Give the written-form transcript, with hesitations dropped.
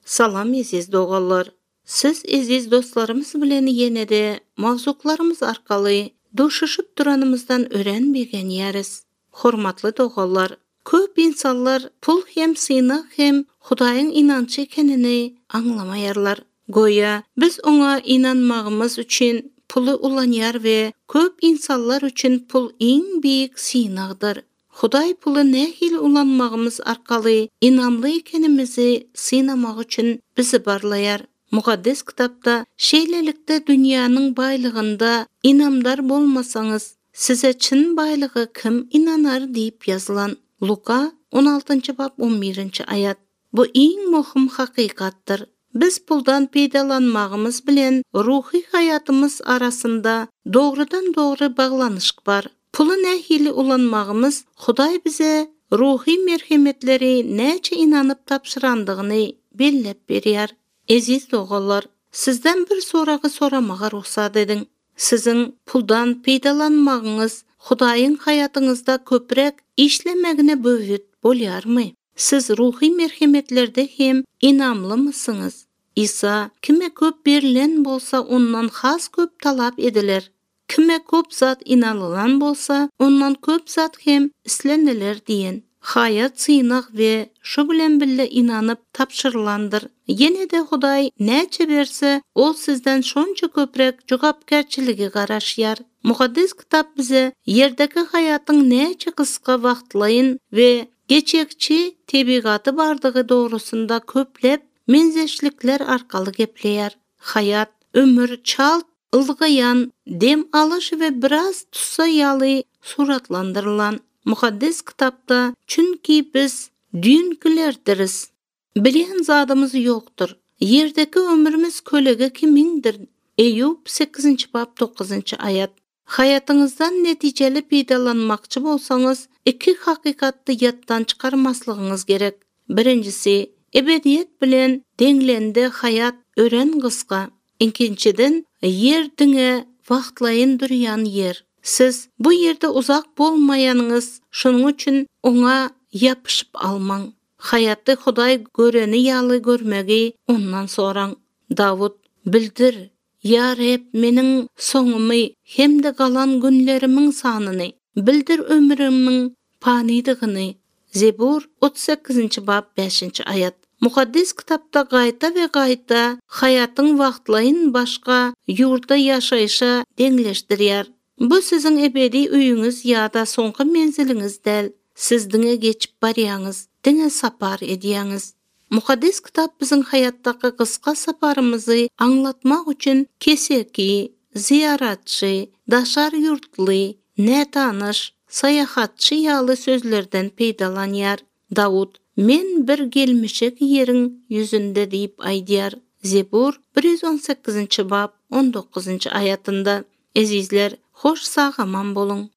Salam eziz dogallar. Siz eziz dostlarımız bilen yenede mavzularımız arkalı doşuşup duranımızdan öğrenbegen yeriz. Hormatly dogallar, köp insanlar pul hem sıynak hem Hudaýyň inançy ekenini anlamayarlar. Goýa biz ona inanmagymyz üçin pulu ulanýar we köp insanlar üçin pul iň biýik synagdyr. Hudaý pulu nähil ulanmagymyz arkaly inamly ekenimizi synamak üçin bizi barlaýar. Mukaddes kitapda şeýlelikde dünýäniň baýlygynda inamdar bolmasaňyz, size çyn baýlygy kim inanar diýip ýazylan. Luka 16-njy bab 11-nji aýat. Bu iň möhüm hakykatdyr. Biz puldan peýdalanmagymyz bilen ruhy hayatymyz arasynda dogrudan-dogry baglanyşyk bar. Pulu nähili ulanmagymyz Hudaý bize ruhy merhemetleri näçe inanyp tapşyrandygyny bellep berýär. Eziz dogallar, sizden bir soragy soramaga ruhsat ediň. Siziň puldan peýdalanmagyňyz Hudaýyň hayatyňyzda köprek işlemegine böwüt bolýarmy? Siz ruhy merhemetlerde hem inamlymysyňyz? İsa kime köp berilen bolsa ondan has köp talap ediler. Kime köp zat inalylan bolsa ondan köp zat hem isleneler diýen. Hayat synak we şu bilen bille inanyp tapşyrylandyr. Ýene de Hudaý näçe berse, ol sizden şonça köprek jogapkärçiligi garaşýar. Mukaddes kitap bize yerdeki hayatyň näçe kıska wagtlaýyn we geçekçi tebigaty bardygy dogrusunda köplep menzeşlikler arkaly gepleýär. Hayat, ömür çalt, ılgayan, dem alyş we biraz tutsa ýaly suratlandyrylan. Mukaddes kitapda çünki biz dünkülerdiriz. Bilen zadymız ýokdur. Yerdeki ömrümüz kölege kimindir? Eýub 8-nji bab 9-njy aýat. Hayatyňyzdan netijeli peýdalanmakçy bolsaňyz, iki hakykatdy ýatdan çykarmaslygyňyz gerek. Birinjisi, ebediýet bilen deňlende hayat ören gyska. Ikinçiden, yer diňe wagtlaýyn durýan yer. Siz bu yerde uzak bolmaýanyňyz, şonuň üçin oňa ýapyşyp almaň. Hayaty Hudaý göreni ýaly görmegi ondan soraň. Dawud bildir, ýa Rab meniň soňumy hemde galan günlerimiň sanyny, bildir ömrümiň panydygyny. Zebur 38-nji bab 5-nji aýat. Mukaddes kitapda gaýta we gaýta hayatyň wagtlaýyn başga ýurda ýaşaýşa deňleşdirýär. Bu siziň ebedi öýüňiz ýa-da soňky menziliňiz däl. Siz diňe geçip barýaňyz, diňe sapar edýäňiz. Mukaddes kitap biziň hayatdaky kıska saparymyzy aňlatmak üçin keseki, ziyaratçy, daşar ýurtly, nätanyş, sayahatçy ýaly sözlerden peýdalanýar. Dawud, men bir gelmişek ýeriň ýüzünde diýip aýdýar. Zebur 118-nji bab 19-njy aýatynda. Ezizler, hoş sagaman bolun.